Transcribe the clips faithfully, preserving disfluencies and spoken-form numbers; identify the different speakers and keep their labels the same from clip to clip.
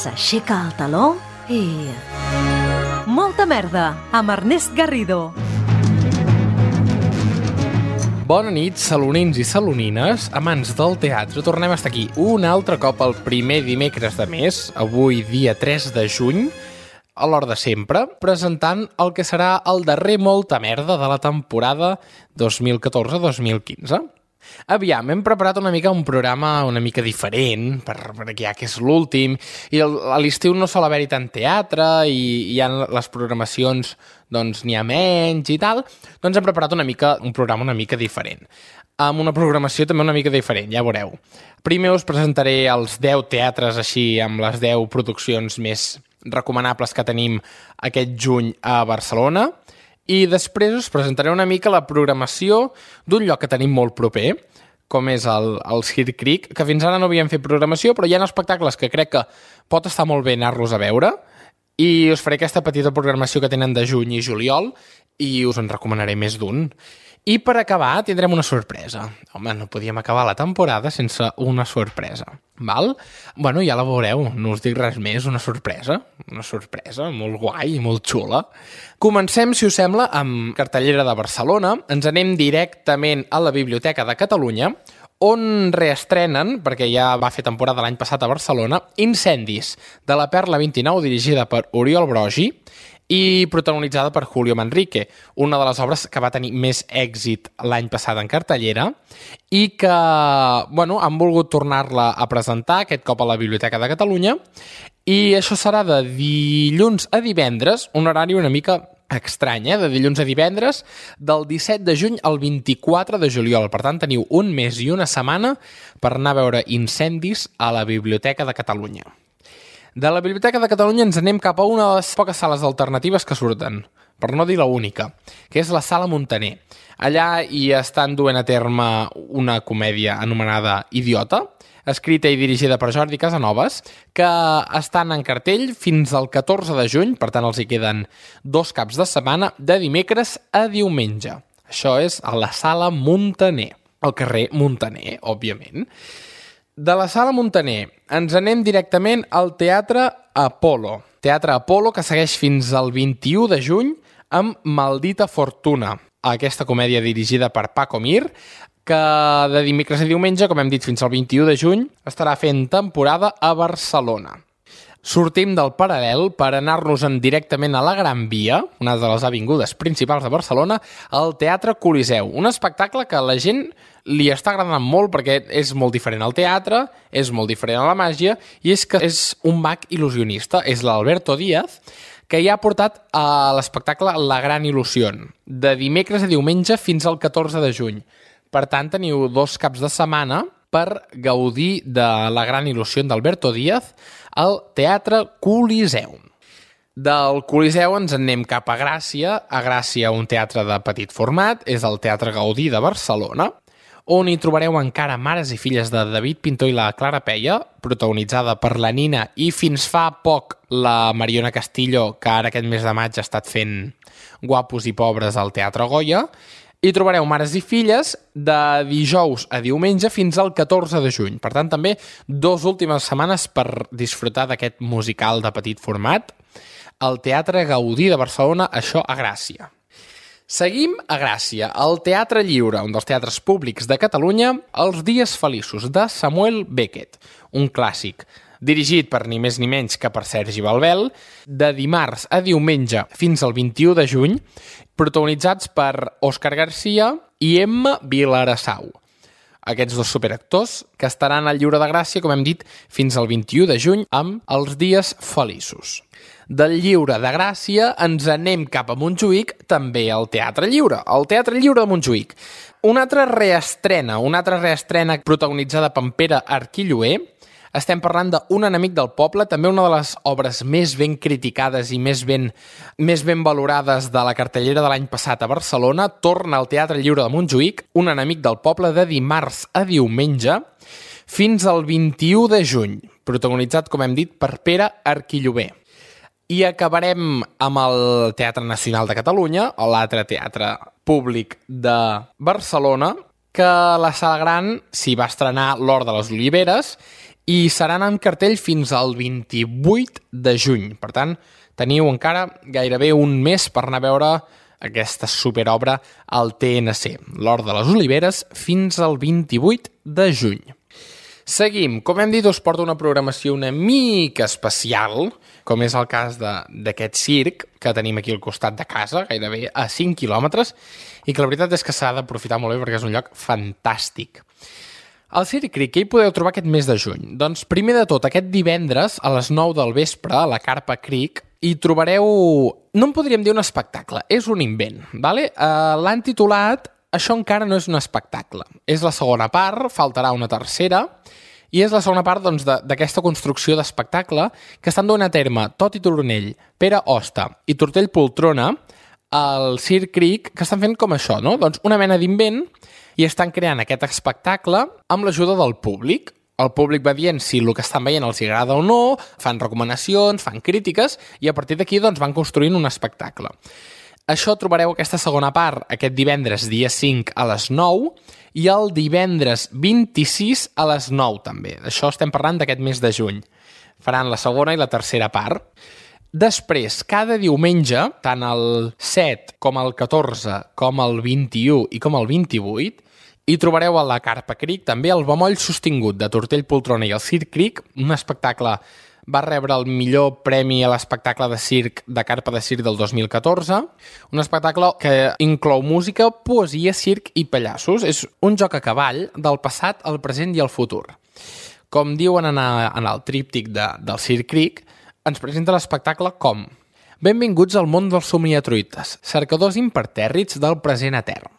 Speaker 1: s'aixeca el taló i... Molta merda, amb Ernest Garrido.
Speaker 2: Bona nit, salonins i salonines, amants del teatre. Tornem a estar aquí un altre cop el primer dimecres de mes, avui dia tres de juny, a l'hora de sempre, presentant el que serà el darrer Molta Merda de la temporada dos mil catorze dos mil quinze. Aviam, hem preparat una mica un programa una mica diferent, per, perquè ja que és l'últim, i el, a l'estiu no sol haver-hi tant teatre, i hi ha les programacions, doncs n'hi ha menys i tal, doncs hem preparat una mica un programa una mica diferent, amb una programació també una mica diferent, ja veureu. Primer us presentaré els deu teatres així, amb les deu produccions més recomanables que tenim aquest juny a Barcelona, i després us presentaré una mica la programació d'un lloc que tenim molt proper, com és el, el Circ Cric, que fins ara no havíem fet programació, però hi ha espectacles que crec que pot estar molt bé anar-los a veure, i us faré aquesta petita programació que tenen de juny i juliol, i us en recomanaré més d'un. I per acabar tindrem una sorpresa. Home, no podíem acabar la temporada sense una sorpresa, val? Bueno, ja la veureu, no us dic res més, una sorpresa, una sorpresa molt guai i molt xula. Comencem, si us sembla, amb cartellera de Barcelona. Ens anem directament a la Biblioteca de Catalunya, on reestrenen, perquè ja va fer temporada l'any passat a Barcelona, Incendis, de la Perla vint-i-nou, dirigida per Oriol Brogi, i protagonitzada per Julio Manrique, una de les obres que va tenir més èxit l'any passat en cartellera i que, bueno, han volgut tornar-la a presentar, aquest cop a la Biblioteca de Catalunya, i això serà de dilluns a divendres, un horari una mica estrany, eh? De dilluns a divendres, del disset de juny al vint-i-quatre de juliol. Per tant, teniu un mes i una setmana per anar a veure Incendis a la Biblioteca de Catalunya. De la Biblioteca de Catalunya ens anem cap a una de les poques sales alternatives que surten, per no dir l'única, que és la Sala Muntaner. Allà hi estan duent a terme una comèdia anomenada Idiota, escrita i dirigida per Jordi Casanovas, que estan en cartell fins al catorze de juny, per tant els hi queden dos caps de setmana, de dimecres a diumenge. Això és a la Sala Muntaner, al carrer Muntaner, òbviament. De la Sala Muntaner ens anem directament al Teatre Apolo. Teatre Apolo que segueix fins al vint-i-u de juny amb Maldita Fortuna, aquesta comèdia dirigida per Paco Mir, que de dimecres a diumenge, com hem dit, fins al vint-i-u de juny, estarà fent temporada a Barcelona. Sortim del Paral·lel per anar-nos-en directament a la Gran Via, una de les avingudes principals de Barcelona, al Teatre Coliseu. Un espectacle que a la gent li està agradant molt perquè és molt diferent al teatre, és molt diferent a la màgia, i és que és un mag il·lusionista, és l'Alberto Díaz, que ja ha portat a l'espectacle La Gran Il·lusión, de dimecres a diumenge fins al catorze de juny. Per tant, teniu dos caps de setmana per gaudir de La Gran Il·lusión d'Alberto Díaz al Teatre Coliseu. Del Coliseu ens anem cap a Gràcia, a Gràcia un teatre de petit format, és el Teatre Gaudí de Barcelona, on hi trobareu encara Mares i filles de David Pintor i la Clara Peia, protagonitzada per la Nina i fins fa poc la Mariona Castillo, que ara aquest mes de maig ha estat fent Guapos i pobres al Teatre Goya. Hi trobareu Mares i filles de dijous a diumenge fins al catorze de juny. Per tant, també dues últimes setmanes per disfrutar d'aquest musical de petit format al Teatre Gaudí de Barcelona, això a Gràcia. Seguim a Gràcia, al Teatre Lliure, un dels teatres públics de Catalunya, Els dies feliços, de Samuel Beckett, un clàssic, dirigit per ni més ni menys que per Sergi Balbel, de dimarts a diumenge fins al vint-i-u de juny, protagonitzats per Òscar Garcia i Emma Vilarassau. Aquests dos superactors que estaran al Lliure de Gràcia, com hem dit, fins al vint-i-u de juny amb Els dies feliços. Del Lliure de Gràcia ens anem cap a Montjuïc, també al Teatre Lliure, al Teatre Lliure de Montjuïc. Una altra reestrena, una altra reestrena protagonitzada per Pere Arquilloé. Estem parlant d'Un enemic del poble, també una de les obres més ben criticades i més ben, més ben valorades de la cartellera de l'any passat a Barcelona. Torna al Teatre Lliure de Montjuïc, Un enemic del poble, de dimarts a diumenge, fins al vint-i-u de juny, protagonitzat, com hem dit, per Pere Arquilloé. I acabarem amb el Teatre Nacional de Catalunya, l'altre teatre públic de Barcelona, que la Sala Gran s'hi va estrenar l'Hort de les Oliveres i seran en cartell fins al vint-i-vuit de juny. Per tant, teniu encara gairebé un mes per anar a veure aquesta superobra al T N C, l'Hort de les Oliveres, fins al vint-i-vuit de juny. Seguim. Com hem dit, us porto una programació una mica especial, com és el cas d'aquest circ que tenim aquí al costat de casa, gairebé a cinc quilòmetres, i que la veritat és que s'ha d'aprofitar molt bé perquè és un lloc fantàstic. Al Circ Creek, què hi podeu trobar aquest mes de juny? Doncs primer de tot, aquest divendres a les nou del vespre a la Carpa Creek hi trobareu, no en podríem dir un espectacle, és un invent, vale? Uh, l'han titulat Això encara no és un espectacle. És la segona part, faltarà una tercera, i és la segona part doncs, d'aquesta construcció d'espectacle que estan donant a terme Toti Turonell, Pere Hosta i Tortell Poltrona al Circ Creek, que estan fent com això, no? Doncs una mena d'invent, i estan creant aquest espectacle amb l'ajuda del públic. El públic va dient si el que estan veient els agrada o no, fan recomanacions, fan crítiques, i a partir d'aquí doncs, van construint un espectacle. Això trobareu aquesta segona part aquest divendres dia cinc a les nou i el divendres vint-i-sis a les nou també. Això estem parlant d'aquest mes de juny. Faran la segona i la tercera part. Després, cada diumenge, tant el set com el catorze, com el vint-i-u i com el vint-i-vuit, hi trobareu a la Carpa Creek també el bemoll sostingut de Tortell Poltrona i el Circ Creek, un espectacle va rebre el millor premi a l'espectacle de circ de Carpa de Circ del dos mil catorze, un espectacle que inclou música, poesia, circ i pallassos. És un joc a cavall del passat, el present i el futur. Com diuen en, a, en el tríptic de, del Circ Creek, ens presenta l'espectacle com: benvinguts al món dels somniatruites, cercadors impertèrrits del present etern.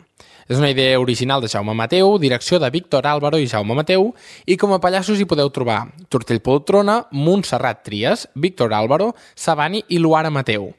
Speaker 2: És una idea original de Jaume Mateu, direcció de Víctor Álvaro i Jaume Mateu, i com a pallassos hi podeu trobar Tortell Poltrona, Montserrat Trias, Víctor Álvaro, Sabani i Luara Mateu.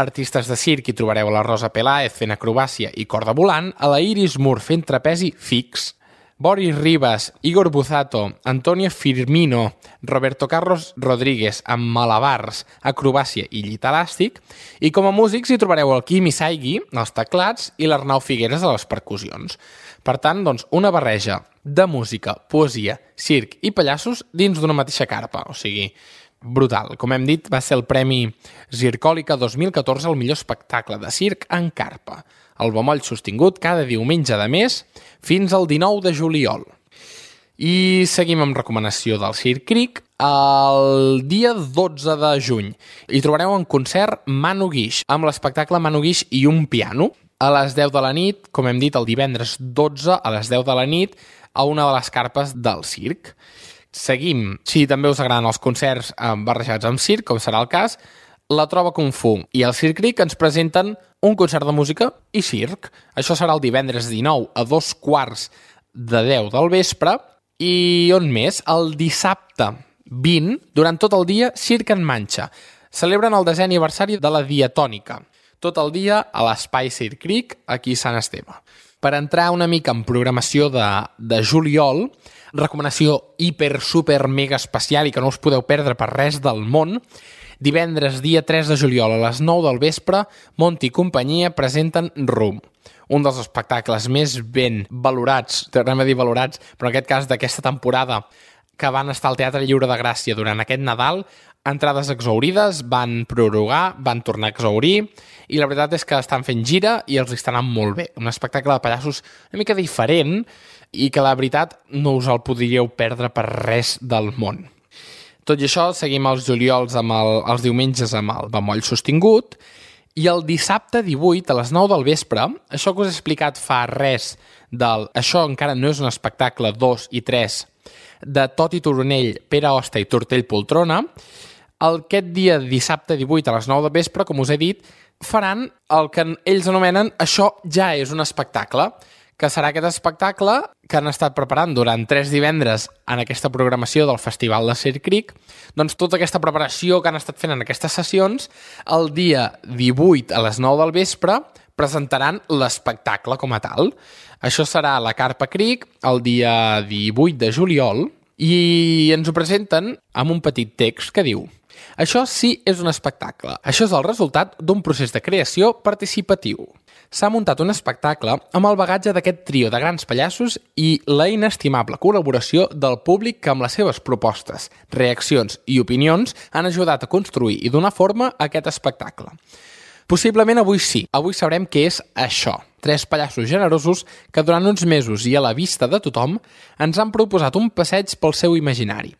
Speaker 2: Artistes de circ hi trobareu a la Rosa Peláez fent acrobàcia i corda volant, a la Iris Mur fent trapezi fix, Boris Ribas, Igor Buzato, Antonio Firmino, Roberto Carlos Rodríguez amb malabars, acrobàcia i llit elàstic, i com a músics hi trobareu el Quim Isaigui, els teclats, i l'Arnau Figueres a les percussions. Per tant, doncs, una barreja de música, poesia, circ i pallassos dins d'una mateixa carpa, o sigui, brutal. Com hem dit, va ser el Premi Zircòlica dos mil catorze al millor espectacle de circ en carpa. El bemoll sostingut cada diumenge de mes fins al dinou de juliol. I seguim amb recomanació del Circ Creek. El dia dotze de juny hi trobareu en concert Manu Guix, amb l'espectacle Manu Guix i un piano. A les deu de la nit, com hem dit, el divendres dotze a les deu de la nit, a una de les carpes del circ. Seguim, si també us agraden els concerts barrejats amb circ, com serà el cas, la Trova Kung Fu i el Circ Creek ens presenten un concert de música i circ. Això serà el divendres dinou a dos quarts de deu del vespre. I on més? El dissabte vint, durant tot el dia, Circ en Manxa. Celebren el desè aniversari de la Diatònica. Tot el dia a l'Espai Circ Creek, aquí a Sant Esteve. Per entrar una mica en programació de, de juliol, recomanació hiper, super, mega especial i que no us podeu perdre per res del món, divendres, dia tres de juliol, a les nou del vespre, Monti i companyia presenten Rum, un dels espectacles més ben valorats, tornem a dir valorats, però en aquest cas d'aquesta temporada, que van estar al Teatre Lliure de Gràcia durant aquest Nadal, entrades exaurides, van prorrogar, van tornar a exaurir, i la veritat és que estan fent gira i els estan anant molt bé. Un espectacle de pallassos una mica diferent i que la veritat no us el podríeu perdre per res del món. Tot i això, seguim els juliols amb el, els diumenges amb el bemoll sostingut, i el dissabte divuit a les nou del vespre, això que us he explicat fa res del Això encara no és un espectacle dos i tres, de Toti Turonell, Pere Hosta i Tortell Poltrona, aquest dia dissabte divuit a les nou del vespre, com us he dit, faran el que ells anomenen Això ja és un espectacle, que serà aquest espectacle que han estat preparant durant tres divendres en aquesta programació del Festival de Circ Creek. Doncs tota aquesta preparació que han estat fent en aquestes sessions, el dia divuit a les nou del vespre presentaran l'espectacle com a tal. Això serà a la Carpa Creek el dia divuit de juliol i ens ho presenten amb un petit text que diu: això sí és un espectacle. Això és el resultat d'un procés de creació participatiu. s'ha muntat un espectacle amb el bagatge d'aquest trio de grans pallassos i la inestimable col·laboració del públic que amb les seves propostes, reaccions i opinions han ajudat a construir i donar forma a aquest espectacle. Possiblement avui sí, avui sabrem què és això. Tres pallassos generosos que durant uns mesos i a la vista de tothom ens han proposat un passeig pel seu imaginari.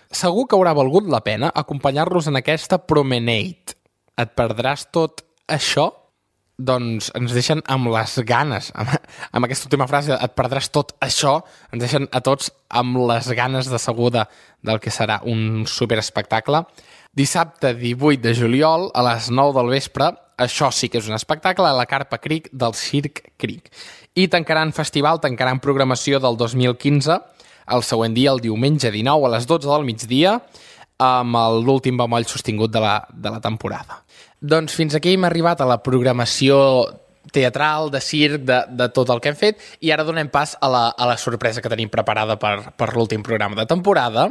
Speaker 2: Segur que haurà valgut la pena acompanyar-los en aquesta promenade. Et perdràs tot això? Doncs ens deixen amb les ganes, amb, amb aquesta última frase, et perdràs tot això, ens deixen a tots amb les ganes de segur de, del que serà un superespectacle. Dissabte divuit de juliol a les nou del vespre, això sí que és un espectacle, a la Carpa Cric del Circ Cric. I tancaran festival, tancaran programació del dos mil quinze, el següent dia, el diumenge dinou, a les dotze del migdia, amb l'últim bemoll sostingut de la, de la temporada. Doncs fins aquí hem arribat a la programació teatral, de circ, de, de tot el que hem fet, i ara donem pas a la, a la sorpresa que tenim preparada per, per l'últim programa de temporada.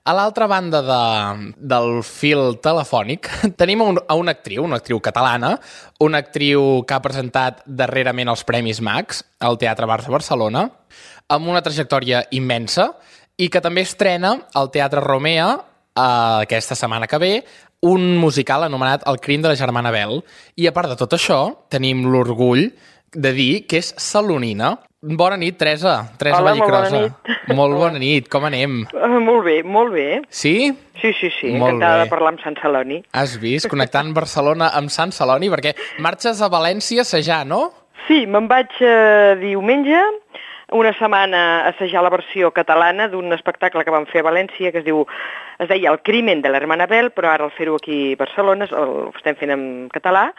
Speaker 2: A l'altra banda de, del fil telefònic tenim un, a una actriu, una actriu catalana, una actriu que ha presentat darrerament els Premis Max al Teatre Barça Barcelona, amb una trajectòria immensa, i que també estrena al Teatre Romea eh, aquesta setmana que ve un musical anomenat El crim de la germana Bel. I a part de tot això, tenim l'orgull de dir que és salonina. Bona nit, Teresa. Teresa
Speaker 3: Hola,
Speaker 2: Vallicrosa.
Speaker 3: molt bona nit.
Speaker 2: Molt bona nit, com anem?
Speaker 3: Uh, molt bé, molt bé.
Speaker 2: Sí?
Speaker 3: Sí, sí, sí,
Speaker 2: Molt
Speaker 3: encantada
Speaker 2: bé.
Speaker 3: de parlar amb Sant Celoni.
Speaker 2: Has vist? Connectant Barcelona amb Sant Celoni, perquè marxes a València a assajar, no?
Speaker 3: Sí, me'n vaig uh, diumenge, una setmana a assajar la versió catalana d'un espectacle que vam fer a València que es diu, es deia El crimen de l'hermana Bel, però ara al fer-ho aquí a Barcelona el estem fent en català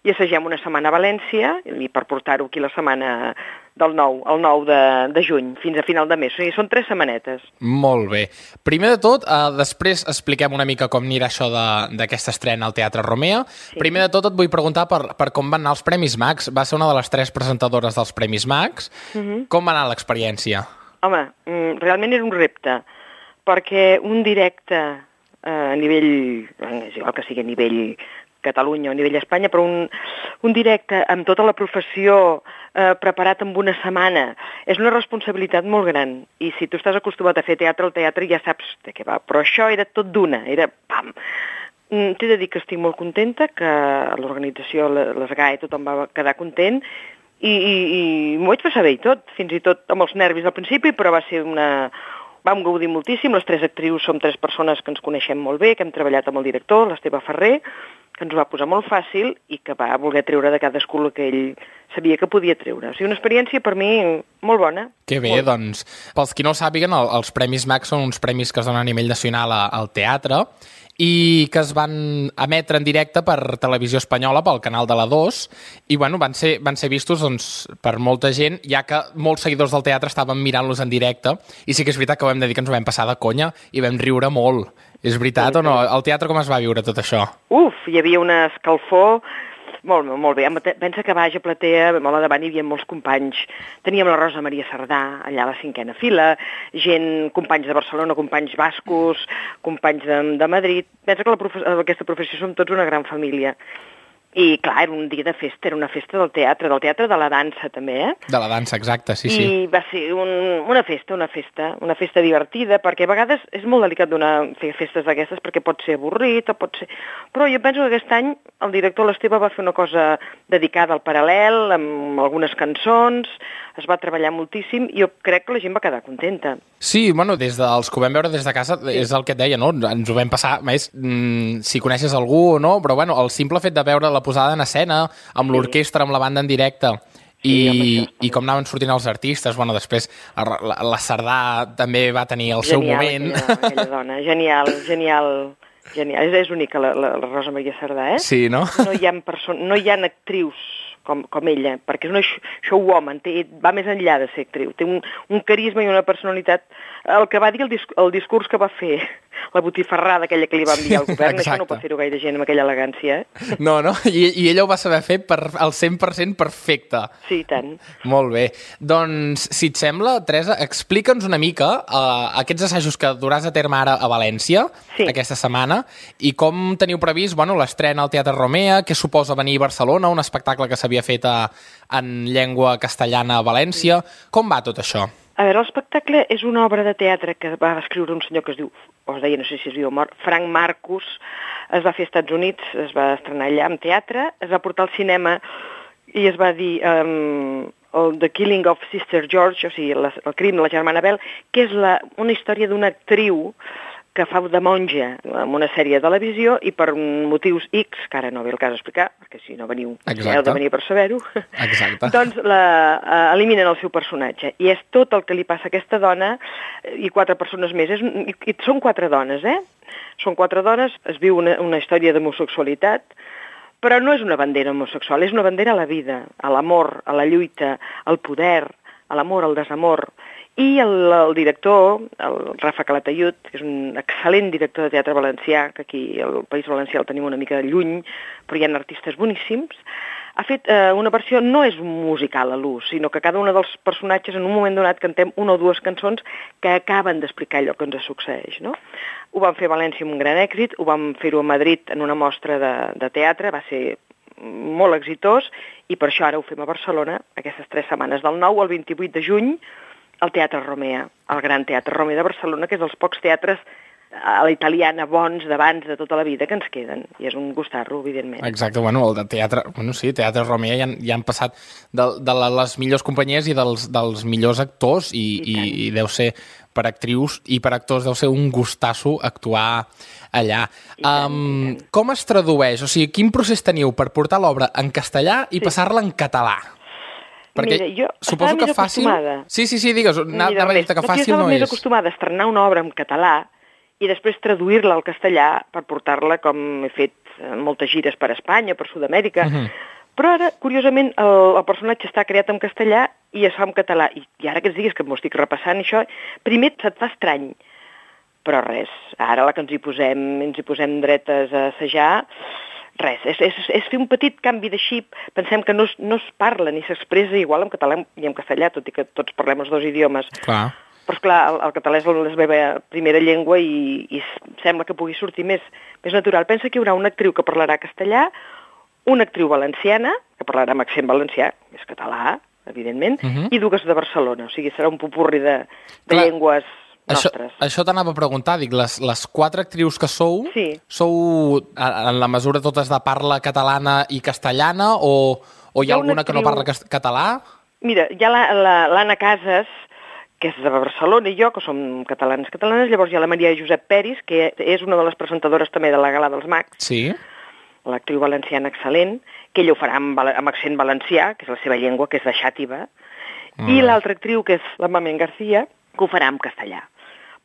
Speaker 3: i assagem una setmana a València i per portar-ho aquí la setmana del nou, el nou de, de juny, fins a final de mes. O sigui, són tres setmanetes.
Speaker 2: Molt bé. Primer de tot, eh, després expliquem una mica com anirà això d'aquesta estrena al Teatre Romea. Sí. Primer de tot et vull preguntar per, per com van anar els Premis Max. Va ser una de les tres presentadores dels Premis Max. Uh-huh. Com va anar l'experiència?
Speaker 3: Home, realment era un repte, perquè un directe eh, a nivell, és igual que sigui a nivell Catalunya o a nivell Espanya, però un, un directe amb tota la professió eh, preparat en una setmana és una responsabilitat molt gran. I si tu estàs acostumat a fer teatre, el teatre ja saps de què va. Però això era tot d'una, era pam! T'he de dir que estic molt contenta, que l'organització, les G A E, tothom va quedar content, i, i, i m'ho vaig passar bé i tot, fins i tot amb els nervis al principi, però va ser una... Vam gaudir moltíssim, les tres actrius som tres persones que ens coneixem molt bé, que hem treballat amb el director, l'Esteve Ferrer, que ens ho va posar molt fàcil i que va voler treure de cadascú el que ell sabia que podia treure. O sigui, una experiència per mi molt bona.
Speaker 2: Que bé,
Speaker 3: molt.
Speaker 2: Doncs, pels qui no ho sàpiguen, el, els Premis Max són uns premis que es donen a nivell nacional a, al teatre i que es van emetre en directe per Televisió Espanyola, pel canal de la dos, i bueno, van ser, van ser vistos doncs, per molta gent, ja que molts seguidors del teatre estaven mirant-los en directe, i sí que és veritat que ho hem de dir que ens ho vam passar de conya i vam riure molt. És veritat sí, o no? Al teatre com es va viure tot això?
Speaker 3: Uf, hi havia una escalfor. Molt, molt bé. Pensa que a baix a platea, molt a davant, hi havia molts companys. Teníem la Rosa Maria Cerdà, allà a la cinquena fila, gent, companys de Barcelona, companys bascos, companys de, de Madrid. Pensa que la profe aquesta professió som tots una gran família. I, clar, era un dia de festa, era una festa del teatre, del teatre de la dansa, també, eh?
Speaker 2: De la dansa, exacte, sí,
Speaker 3: I
Speaker 2: sí.
Speaker 3: I va ser un, una festa, una festa, una festa divertida, perquè a vegades és molt delicat donar, fer festes d'aquestes, perquè pot ser avorrit, o pot ser... Però jo penso que aquest any el director l'Esteve va fer una cosa dedicada al paral·lel, amb algunes cançons, es va treballar moltíssim, i jo crec que la gent va quedar contenta.
Speaker 2: Sí, bueno, des dels que ho vam veure des de casa, sí. És el que et deia, no? Ens ho vam passar, més, mmm, si coneixes algú o no, però bueno, el simple fet de veure la posada en escena, amb sí. l'orquestra, amb la banda en directe, i, sí, i com anaven sortint els artistes, bueno, després la, la Cerdà també va tenir el genial, seu moment.
Speaker 3: Genial, aquella dona, genial, genial, genial. És, és única la, la, la Rosa Maria Cerdà, eh?
Speaker 2: Sí, no?
Speaker 3: No hi ha, no hi ha actrius com, com ella, perquè és una showwoman, té, va més enllà de ser actriu, té un, un carisma i una personalitat. El que va dir, el, disc, el discurs que va fer la botifarrada aquella que li va enviar el govern,
Speaker 2: Exacte.
Speaker 3: això no pot fer-ho gaire gent amb aquella elegància, eh?
Speaker 2: No, no, I, i ella ho va saber fer per, al cent per cent perfecte.
Speaker 3: Sí, i tant.
Speaker 2: Molt bé. Doncs, si et sembla, Teresa, explica'ns una mica uh, aquests assajos que duràs a terme ara a València,
Speaker 3: sí.
Speaker 2: aquesta setmana, i com teniu previst, bueno, l'estrena al Teatre Romea, què suposa venir a Barcelona, un espectacle que s'havia fet a, en llengua castellana a València. Com va tot això?
Speaker 3: A veure, l'espectacle és una obra de teatre que va escriure un senyor que es diu, o es deia, no sé si es diu mort, Frank Marcus. Es va fer als Estats Units, es va estrenar allà en teatre, es va portar al cinema i es va dir um, el The Killing of Sister George, o sigui, la, el crim de la germana Bell, que és la, una història d'una actriu que fa de monja en una sèrie de televisió i per motius X, que ara no ve el cas explicar, perquè si no veniu, heu de venir per saber-ho, doncs la, uh, eliminen el seu personatge. I és tot el que li passa a aquesta dona i quatre persones més. És, i, i són quatre dones, eh? Són quatre dones, es viu una, una història d'homosexualitat, però no és una bandera homosexual, és una bandera a la vida, a l'amor, a la lluita, al poder, a l'amor, al desamor. I el, el director, el Rafa Calatayud, que és un excel·lent director de teatre valencià, que aquí al País Valencià el tenim una mica lluny, però hi ha artistes boníssims, ha fet eh, una versió, no és un musical a l'ús, sinó que cada un dels personatges en un moment donat cantem una o dues cançons que acaben d'explicar allò que ens succeeix, no? Ho vam fer a València amb un gran èxit, ho vam fer-ho a Madrid en una mostra de, de teatre, va ser molt exitós, i per això ara ho fem a Barcelona, aquestes tres setmanes, del nou al vint-i-vuit de juny, al Teatre Romea, el Gran Teatre Romea de Barcelona, que és dels pocs teatres a la italiana bons d'abans de tota la vida que ens queden, i és un gustar-lo, evidentment.
Speaker 2: Exacte, bueno, el de teatre, bueno, sí, Teatre Romea ja han, ja han passat de, de les millors companyies i dels, dels millors actors, i, I, i, i deu ser per actrius i per actors deu ser un gustasso actuar allà.
Speaker 3: Tant,
Speaker 2: um, com es tradueix? O sigui, quin procés teniu per portar l'obra en castellà i sí. passar-la en català? Perquè
Speaker 3: Mira, jo
Speaker 2: suposo que fàcil...
Speaker 3: acostumada.
Speaker 2: Sí, sí, sí, digues, anava a dir que fàcil no és.
Speaker 3: Jo estava més acostumada a estrenar una obra en català i després traduir-la al castellà per portar-la, com he fet moltes gires per Espanya, per Sud-amèrica. Uh -huh. Però ara, curiosament, el, el personatge està creat en castellà i es fa en català. I, i ara que ens diguis que m'ho estic repassant, això, primer se't fa estrany. Però res, ara la que ens hi posem, ens hi posem dretes a assajar, res, és, és, és fer un petit canvi de xip. Pensem que no es, no es parla ni s'expressa igual en català i en castellà, tot i que tots parlem els dos idiomes.
Speaker 2: Clar.
Speaker 3: Però, esclar, el, el català és la meva primera llengua i, i sembla que pugui sortir més, més natural. Pensa que hi haurà una actriu que parlarà castellà, una actriu valenciana, que parlarà amb accent valencià, és català, evidentment, uh -huh. i dues de Barcelona. O sigui, serà un popurri de, de llengües nostres.
Speaker 2: Això, això t'anava a preguntar, dic, les, les quatre actrius que sou,
Speaker 3: sí.
Speaker 2: sou en la mesura totes de parla catalana i castellana, o, o hi ha, hi ha alguna actriu... que no parla català?
Speaker 3: Mira, hi ha l'Anna la, la, Casas, que és de Barcelona, i jo, que som catalans catalanes, llavors hi ha la Maria Josep Peris, que és una de les presentadores també de la Gala dels Mags,
Speaker 2: sí.
Speaker 3: l'actriu valenciana excel·lent, que ella ho farà amb, amb accent valencià, que és la seva llengua, que és de xàtiva, mm. i l'altra actriu, que és la Mamen García, que ho farà en castellà.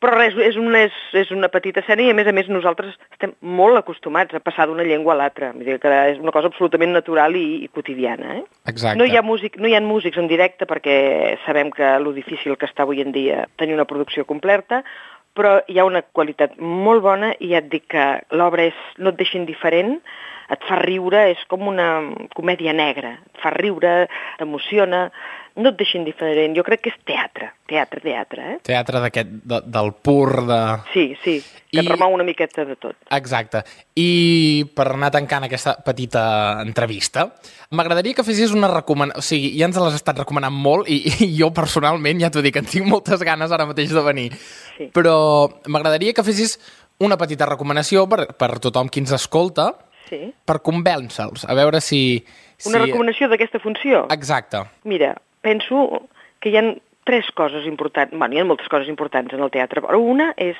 Speaker 3: Però res, és una, és, és una petita escena i, a més a més, nosaltres estem molt acostumats a passar d'una llengua a l'altra. Vull dir que és una cosa absolutament natural i, i quotidiana. Eh?
Speaker 2: Exacte.
Speaker 3: No hi ha músic, no hi ha músics en directe perquè sabem que lo difícil que està avui en dia tenir una producció completa, però hi ha una qualitat molt bona i ja et dic que l'obra és, no et deixa indiferent, et fa riure, és com una comèdia negra, et fa riure, t'emociona, no et deixa indiferent. Jo crec que és teatre, teatre, teatre. Eh?
Speaker 2: Teatre d'aquest, de, del pur de...
Speaker 3: Sí, sí, que I... et remou una miqueta de tot.
Speaker 2: Exacte. I per anar tancant aquesta petita entrevista, m'agradaria que fessis una recomanació, o sigui, ja ens l'has estat recomanant molt i, i jo personalment, ja t'ho dic, en tinc moltes ganes ara mateix de venir, sí. Però m'agradaria que fessis una petita recomanació per, per tothom qui ens escolta,
Speaker 3: sí.
Speaker 2: per convèncer-los, a veure si...
Speaker 3: Una si... recomanació d'aquesta funció?
Speaker 2: Exacte.
Speaker 3: Mira, penso que hi ha tres coses importants, bueno, hi ha moltes coses importants en el teatre, però una és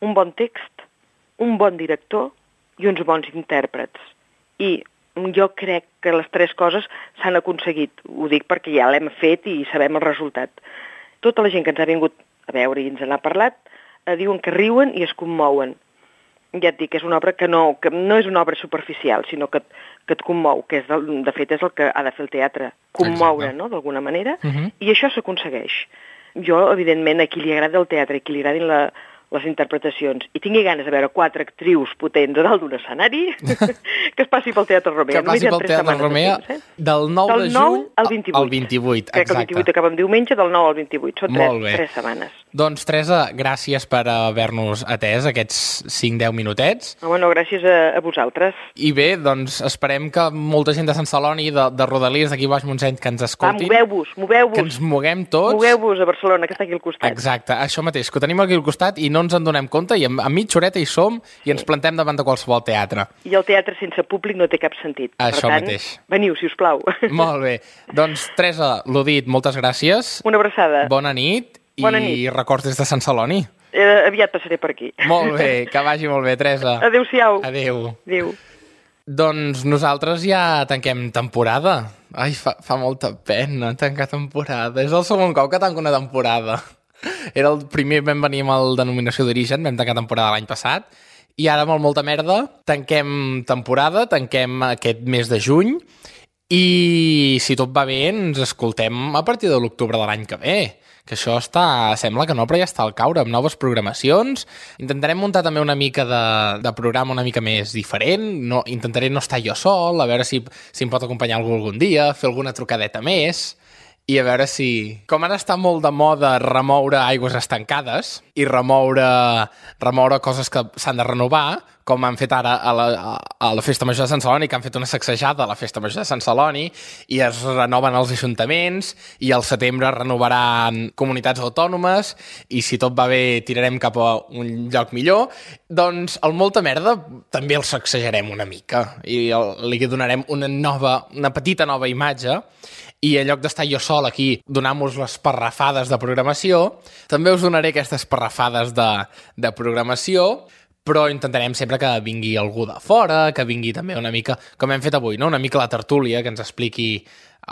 Speaker 3: un bon text, un bon director i uns bons intèrprets. I jo crec que les tres coses s'han aconseguit, ho dic perquè ja l'hem fet i sabem el resultat. Tota la gent que ens ha vingut a veure i ens n'ha parlat, eh, diuen que riuen i es commouen. Ja et dic, és una obra que no, que no és una obra superficial, sinó que, que et commou, que és de, de fet és el que ha de fer el teatre, commoure, no?, d'alguna manera, uh-huh. I això s'aconsegueix. Jo, evidentment, a qui li agrada el teatre i qui li agradin la, les interpretacions i tingui ganes de veure quatre actrius potents a dalt d'un escenari, que es passi pel Teatre Romea.
Speaker 2: Que passi pel Teatre Romea
Speaker 3: temps, eh?
Speaker 2: del nou
Speaker 3: del
Speaker 2: de
Speaker 3: nou
Speaker 2: juny
Speaker 3: al vint-i-vuit.
Speaker 2: Al vint-i-vuit,
Speaker 3: Crec que el vint-i-vuit acaba amb diumenge, del nou al vint-i-vuit. Són tres, tres setmanes.
Speaker 2: Doncs, Teresa, gràcies per haver-nos atès aquests cinc a deu minutets.
Speaker 3: Home, no, gràcies a, a vosaltres.
Speaker 2: I bé, doncs esperem que molta gent de Sant Celoni, de, de Rodalies, d'aquí baix Montseny, que ens escoltin.
Speaker 3: Va, moveu-vos, moveu-vos.
Speaker 2: Que ens moguem tots.
Speaker 3: Moveu-vos a Barcelona, que està aquí al costat.
Speaker 2: Exacte, això mateix, que ho tenim aquí al costat i no ens en donem compte, i a, a mitja horeta hi som i ens plantem davant de qualsevol teatre.
Speaker 3: I el teatre sense públic no té cap sentit.
Speaker 2: Això
Speaker 3: per tant,
Speaker 2: mateix.
Speaker 3: Veniu, si us plau.
Speaker 2: Molt bé. Doncs, Teresa, l'ho dit, moltes gràcies.
Speaker 3: Una abraçada.
Speaker 2: Bona nit.
Speaker 3: Bona
Speaker 2: i
Speaker 3: nit.
Speaker 2: records des de Sant Celoni.
Speaker 3: Eh, aviat passaré per aquí.
Speaker 2: Molt bé, que vagi molt bé, Teresa.
Speaker 3: Adéu-siau.
Speaker 2: Adéu.
Speaker 3: Adéu.
Speaker 2: Doncs nosaltres ja tanquem temporada. Ai, fa, fa molta pena tancar temporada. És el segon cop que tanco una temporada. Era el primer, vam venir amb el denominació d'origen, vam tancar temporada l'any passat, i ara amb el Molta Merda tanquem temporada, tanquem aquest mes de juny, i si tot va bé ens escoltem a partir de l'octubre de l'any que ve, que això està, sembla que no, però ja està al caure, amb noves programacions. Intentarem muntar també una mica de, de programa una mica més diferent, no, intentaré no estar jo sol, a veure si, si em pot acompanyar algú algun dia, fer alguna trucadeta més, i a veure si... Com ara està molt de moda remoure aigües estancades i remoure, remoure coses que s'han de renovar, com han fet ara a la, a la Festa Major de Sant Celoni, que han fet una sacsejada a la Festa Major de Sant Celoni, i es renoven els ajuntaments, i al setembre renovaran comunitats autònomes, i si tot va bé tirarem cap a un lloc millor, doncs el Molta Merda també el sacsejarem una mica, i el, li donarem una nova, una petita nova imatge, i en lloc d'estar jo sol aquí donant-vos les parrafades de programació, també us donaré aquestes parrafades de, de programació, però intentarem sempre que vingui algú de fora, que vingui també una mica, com hem fet avui, no? Una mica la tertúlia, que ens expliqui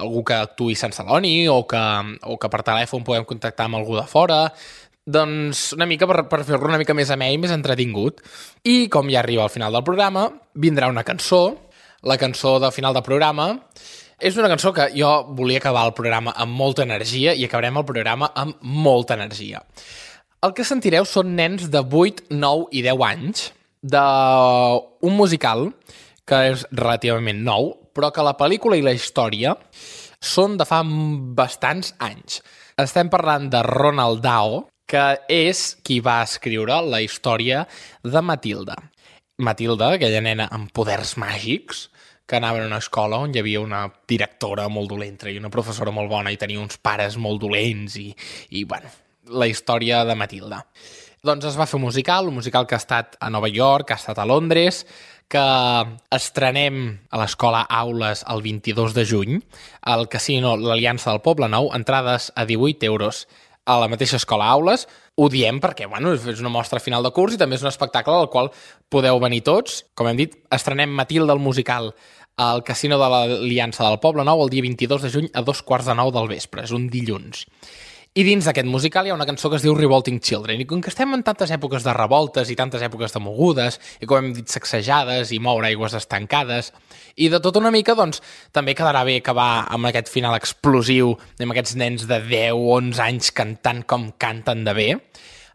Speaker 2: algú que actuï a Sant Celoni, o que, o que per telèfon podem contactar amb algú de fora, doncs una mica per, per fer-lo una mica més amè i més entretingut. I com ja arriba al final del programa, vindrà una cançó, la cançó del final del programa. És una cançó que jo volia acabar el programa amb molta energia, i acabarem el programa amb molta energia. El que sentireu són nens de vuit, nou i deu anys d'un musical que és relativament nou, però que la pel·lícula i la història són de fa bastants anys. Estem parlant de Roald Dahl, que és qui va escriure la història de Matilda. Matilda, aquella nena amb poders màgics, que anava a una escola on hi havia una directora molt dolenta i una professora molt bona i tenia uns pares molt dolents i, i bueno, la història de Matilda. Doncs es va fer un musical, un musical que ha estat a Nova York, que ha estat a Londres, que estrenem a l'Escola Aules el vint-i-dos de juny, al Casino l'Aliança del Poble Nou, entrades a divuit euros a la mateixa Escola Aules. Ho diem perquè, bueno, és una mostra final de curs i també és un espectacle al qual podeu venir tots. Com hem dit, estrenem Matilda, el musical, al Casino de l'Aliança del Poble Nou el dia vint-i-dos de juny a dos quarts de nou del vespre, és un dilluns. I dins d'aquest musical hi ha una cançó que es diu Revolting Children, i com que estem en tantes èpoques de revoltes i tantes èpoques de mogudes, i com hem dit, sacsejades i moure aigües estancades, i de tot una mica, doncs, també quedarà bé acabar amb aquest final explosiu, amb aquests nens de deu o onze anys cantant com canten de bé.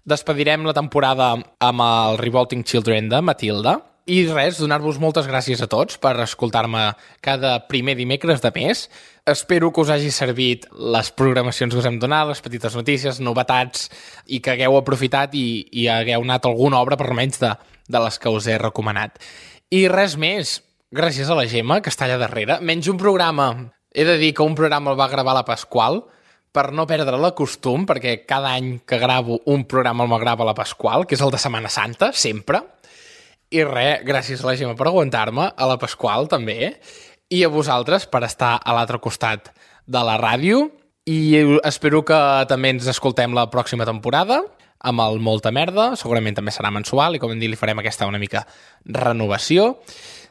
Speaker 2: Despedirem la temporada amb el Revolting Children de Matilda, i res, donar-vos moltes gràcies a tots per escoltar-me cada primer dimecres de mes. Espero que us hagi servit les programacions que us hem donat, les petites notícies, novetats, i que hagueu aprofitat i, i hagueu anat a alguna obra, per almenys de, de les que us he recomanat. I res més, gràcies a la Gemma, que està allà darrere. Menys un programa, he de dir que un programa el va gravar la Pasqual, per no perdre la costum, perquè cada any que gravo un programa el grava la Pasqual, que és el de Setmana Santa, sempre. I res, gràcies a la Gemma per aguantar-me, a la Pasqual també, i a vosaltres per estar a l'altre costat de la ràdio, i espero que també ens escoltem la pròxima temporada amb el Molta Merda, segurament també serà mensual, i com hem dit li farem aquesta una mica renovació.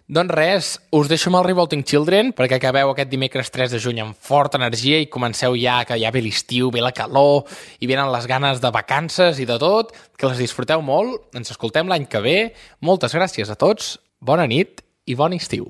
Speaker 2: Doncs res, us deixo amb el Revolting Children perquè acabeu aquest dimecres tres de juny amb forta energia i comenceu ja, que ja ve l'estiu, ve la calor i venen les ganes de vacances i de tot, que les disfruteu molt, ens escoltem l'any que ve, moltes gràcies a tots, bona nit i bon estiu.